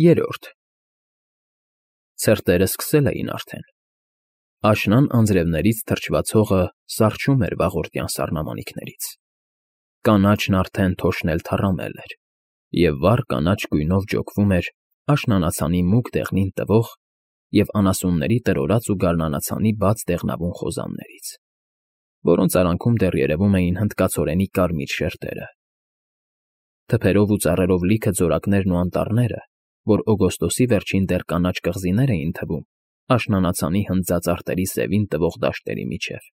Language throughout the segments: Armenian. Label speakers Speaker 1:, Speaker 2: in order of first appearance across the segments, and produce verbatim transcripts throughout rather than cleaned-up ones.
Speaker 1: Երրորդ Ցրտերը սկսել էին արդեն։ Աշնան անձրևներից թրջված հողը սառչում էր վաղորդյան սառնամանիքներից։ Կանաչն արդեն թոշնել թառամել էր, և վառ կանաչ գույնով ջոկվում էր աշնանացանի մուգ դեղնին տվող և անասունների տրորած ու գարնանացանի բաց դեղնավուն խոզաններից, որոնց արանքում դեռ երևում էին հնդկացորենի կարմիր շերտերը։ Թփերով ու ծառերով լիքը ձորակներն ու անտառները, որ օգոստոսի վերջին դեռ կանաչ կղզիներ էին թվում աշնանացանի հնձած արտերի սևին տվող դաշտերի միջև,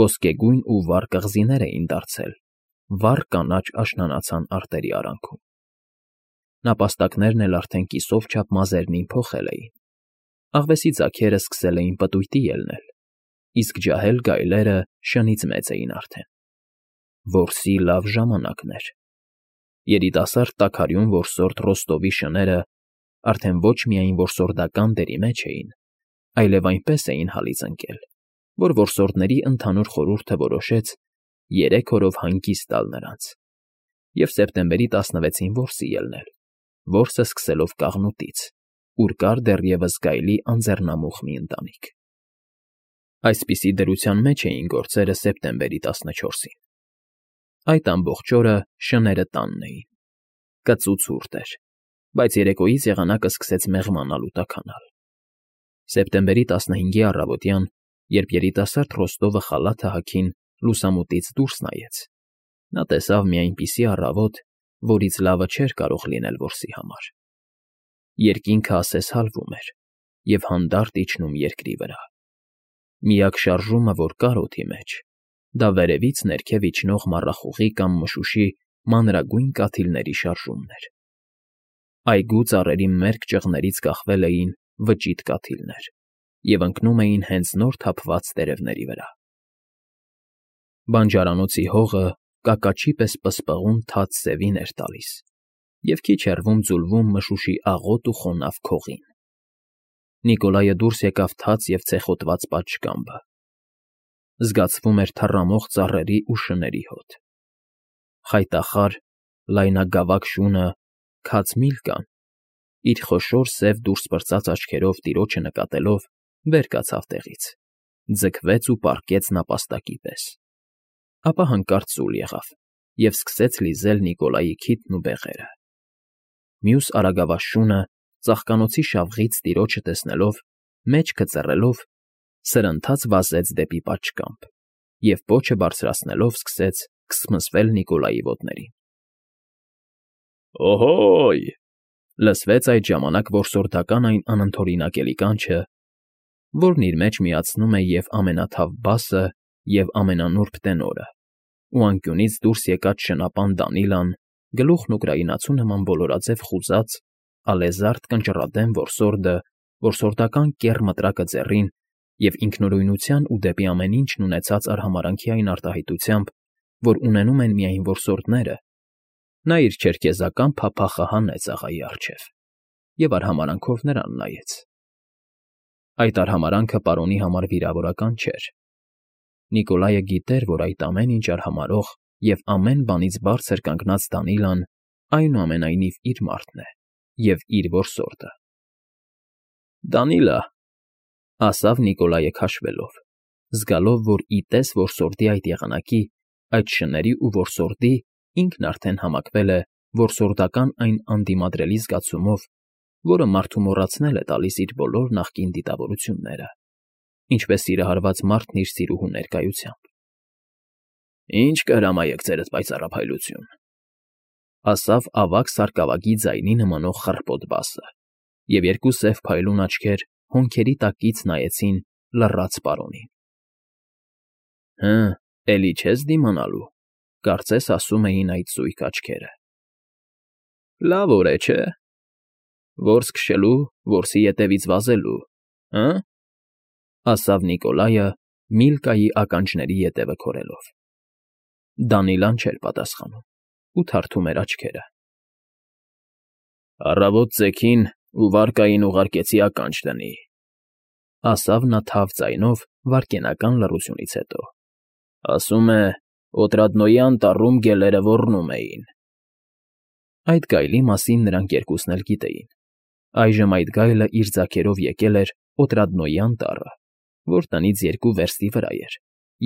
Speaker 1: ոսկեգույն ու վառ կղզիներ էին դարձել վառ կանաչ աշնանացան արտերի արանքում։ Նապաստակներն էլ արդեն կիսով չափ մազերնին փոխել էին, աղվեսի ձագերը սկսել էին պտույտի ելնել, իսկ ջահել գայլերը շնից մեծ էին արդեն։ Որսի լավ ժամանակն էր։ Երիտասարդ տաքարյուն որսորդ Ռոստովի շները արդեն ոչ միայն որսորդական դերի մեջ էին, այլև այնպես էին հալից ընկել, որ որսորդների ընդհանուր խորհուրդը որոշեց երեք օրով հանգիստ տալ նրանց և սեպտեմբերի տասնվեցին որսի ելնել, որսը սկսելով կաղնուտից, ուր կար դեռևս գայլի անձեռնամուխ մի ընտանիք։ Այսպիսի դրության մեջ էին գործերը սեպտեմբերի տասնչորսին։ Այդ ամբողջ օրը շները տանն էին։ Կծու ցուրտ էր, բայց երեկոյից եղանակը սկսեց մեղմանալ ու տաքանալ։ Սեպտեմբերի տասնհինգի առավոտյան, երբ երիտասարդ Ռոստովը խալաթը հագին լուսամուտից դուրս նայեց, նա տեսավ մի այնպիսի առավոտ, որից լավը չէր կարող լինել որսի համար։ Երկինքը ասես հալվում էր և հանդարտ իջնում երկրի վրա։ Միակ շարժումը, որ կար օդի մեջ, դա վերևից ներքև իջնող մառախուղի կամ մշուշի մանրագույն կաթիլների շարժումն էր։ Այգու ծառերի մերկ ճղներից կախվել էին վճիտ կաթիլներ և ընկնում էին հենց նոր թափված տերևների վրա։ Բանջարանոցի հողը կակաչի պես պսպղուն թաց սևին էր տալիս և քիչ հեռվում ձուլվում մշուշի աղոտ ու խոնավ քողին։ Նիկոլայը դուրս եկավ թաց և ցեխոտված պատշգամբը։ Զգացվում էր թառամող ծառերի ու շների հոտ։ Խայտախառ, լայնագավակ շունը քաց Միլկան, իր խոշոր սև դուրս պրծած աչքերով տիրոջը նկատելով, վեր կացավ տեղից, ձգվեց ու պառկեց նապաստակի պես, ապա հանկարծ ծուլ եղավ և սկսեց լիզել Նիկոլայի քիթն ու բեղերը։ Մյուս արագավազ շունը, ծաղկանոցի շավղից տիրոջը տեսնելով, մեջքը ծռելով, սրընթաց վազեց դեպի պատշգամբ և պոչը բարձրացնելով սկսեց քսմսվել Նիկոլայի ոտներին։ «Օհո՜յ», լսվեց այդ ժամանակ որսորդական այն անընդօրինակելի կանչը, որն իր մեջ միացնում է և ամենաթավ բասը, և ամենանուրբ տենորը, ու անկյունից դուրս եկած շնապան Դանիլան, գլուխն ուկրաինացու նման բոլորաձև խուզած, ալեզարդ կնճռադեմ որսորդը որսորդական կեռ մտրակը ձեռին և ինքնուրույնության ու դեպի ամեն ինչն ունեցած արհամարհանքի այն արտահայտությամբ, որ ունենում են միայն որսորդները, նա իր չերքեզական փափախը հանեց աղայի առջև և արհամարհանքով նրան նայեց։ Այդ արհամարհանքը պարոնի համար վիրավորական չէր։ Նիկոլայը գիտեր, որ այդ ամեն ինչ արհամարհող և ամեն բանից բարձր կանգնած Դանիլան այնուամենայնիվ իր մարդն է և իր որսորդը։ «Դանիլը», ասավ Նիկոլայը քաշվելով, զգալով, որ ի տես որսորդի այդ եղանակի, այդ շների ու որսորդի ինքն արդեն համակվել է որսորդական այն անդիմադրելի զգացումով, որը մարդու մոռացնել է տալիս իր բոլոր նախկին դիտավորությունները, ինչպես սիրահարված մարդն իր սիրուհու ներկայությամբ։ «Ինչ կհրամայեք, ձերդ պայծառափայլություն», ասավ ավագ սարկավագի ձայնի նմանող խռպոտ բասը, և երկու սև փայլուն աչքեր հոնքերի տակից նայեցին լռած պարոնին։ «Հը, էլի չես դիմանալու», կարծես ասում էին այդ զույգ աչքերը։ «Լավ օր է, չէ՞, որս քշելու, որսի ետևից վազելու, հը՞», ասավ Նիկոլայը Միլկայի ականջների ետևը քորելով։ Դանիլան չէր պատասխանում ու թարթում էր աչքերը։ «Առավոտ ծեքին ու վարկային ուղարկեցի ականջ դնի», ասավ նա թավ ձայնով վայրկենական լռությունից հետո։ «Ասում է, Օտրադնոյի անտառում գելերը ոռնում էին»։ Այդ գայլի մասին նրանք երկուսն էլ գիտեին, Այժմ այդ գայլը իր ձագերով եկել էր Օտրադնոյի անտառը, որ տնից երկու վերստի վրա էր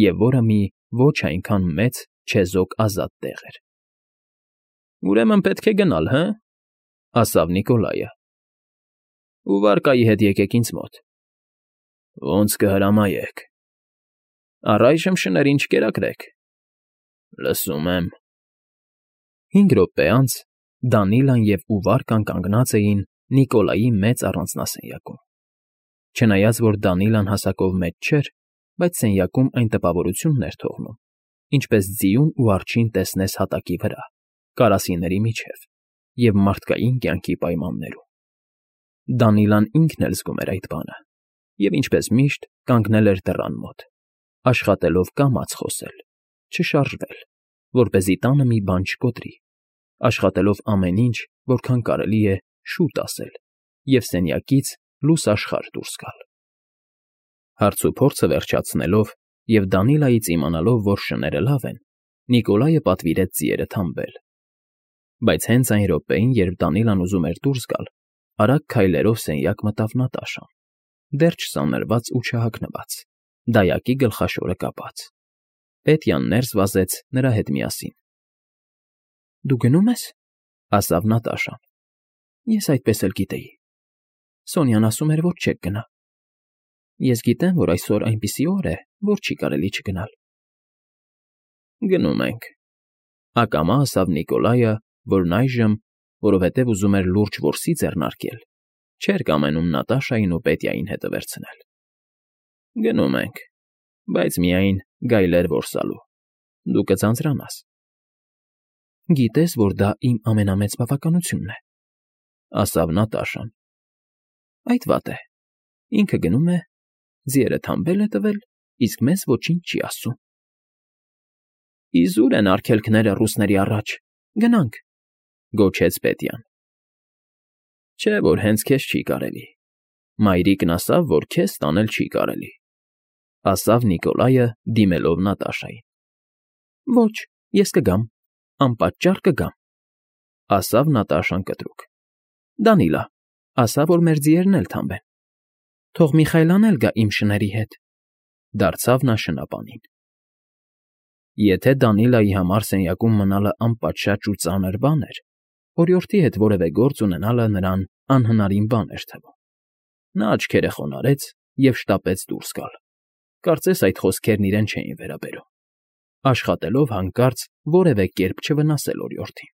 Speaker 1: և որը մի ոչ այնքան մեծ, չեզոք ազատ տեղ էր։ ֊ Ուրեմն պետք է գնալ, հը՞, ֊ ասավ Նիկոլայը։ ֊ Ու վարկայի հետ եկեք ինձ մոտ։ ֊ Ոնց կհրամայեք։ ֊ Առայժմ շներին չկերակրեք։ ֊ Լսում եմ։ Հինգ րոպե անց Դանիլան և Ուվարկան կանգնած էին Նիկոլայի մեծ առանձնասենյակում։ Չնայած որ Դանիլան հասակով մեծ չէր, բայց սենյակում այն տպավորությունն էր թողնում, ինչպես ձիուն ու արջին տեսնես հատակի վրա, կարասիների միջև և մարդկային կյանքի պայմաններում։ Դանիլան ինքն էլ զգում էր այդ բանը և, ինչպես միշտ, կանգնել էր դռան մոտ, աշխատելով կամաց խոսել, չշարժվել, որպեսզի տանը մի բան չկոտրի, աշխատելով ամեն ինչ, որքան կարելի է, շուտ ասել և սենյակից լույս աշխարհ դուրս գալ։ Հարցուփորձը վերջացնելով և Դանիլայից իմանալով, որ շները լավ են, Նիկոլայը պատվիրեց ձիերը թամբել։ Բայց հենց այն րոպեին, երբ Դանիլան ուզում էր դուրս գալ, արագ քայլերով սենյակ մտավ Նատաշան, դեռ չսանրված ու չհագնված, դայակի գլխաշորը կապած։ Պետյան ներս վազեց նրա հետ միասին։ ֊ Դու գնո՞ւմ ես,֊ ասավ Նատաշան։ ֊ Ես այդպես էլ գիտեի։ Սոնյան ասում էր, որ չեք գնա։ Ես գիտեմ, որ այսօր այնպիսի օր է, որ չի կարելի չգնալ։ ֊ Գնում ենք,֊ ակամա ասավ Նիկոլայը, որն այժմ, որովհետև ուզում էր լուրջ որսի ձեռնարկել, չէր կամենում Նատաշային ու Պետյային հետը վերցնել։ ֊ Գնում ենք, բայց միայն գայլեր որսալու, դու կձանձրանաս։ ֊ Գիտես, որ դա իմ ամենամեծ բավականությունն է,֊ ասավ Նատաշան։ ֊ Այդ վատ է, ինքը գնում է, ձիերը թամբել է տվել, իսկ մեզ ոչինչ չի ասում։ ֊ Իզուր են արգելքները ռուսների առաջ, գնանք,֊ գոչեց Պետյան։ ֊ Չէ՞ որ հենց քեզ չի կարելի, մայրիկն ասավ, որ քեզ տանել չի կարելի,֊ ասավ Նիկոլայը, դիմելով Նատաշային։ ֊ Ոչ, ես կգամ, անպատճառ կգամ,֊ ասավ Նատաշան կտրուկ։ ֊ Դանիլա, ասա, որ մեր ձիերն էլ թամբեն։ Թող Միխայլն էլ գա իմ շների հետ,֊ դարձավ նա շնապանին։ Եթե Դանիլայի համար սենյակում մնալը անպատշաճ ու ծանր բան էր, օրիորդի հետ որևէ գործ ունենալը նրան անհնարին բան էր թվում։ Նա աչքերը խոնարհեց և շտապեց դուրս գալ, կարծես այդ խոսքերն իրեն չէին վերաբերում, աշխատելով հանկարծ որևէ կերպ չվնասել օրիորդին։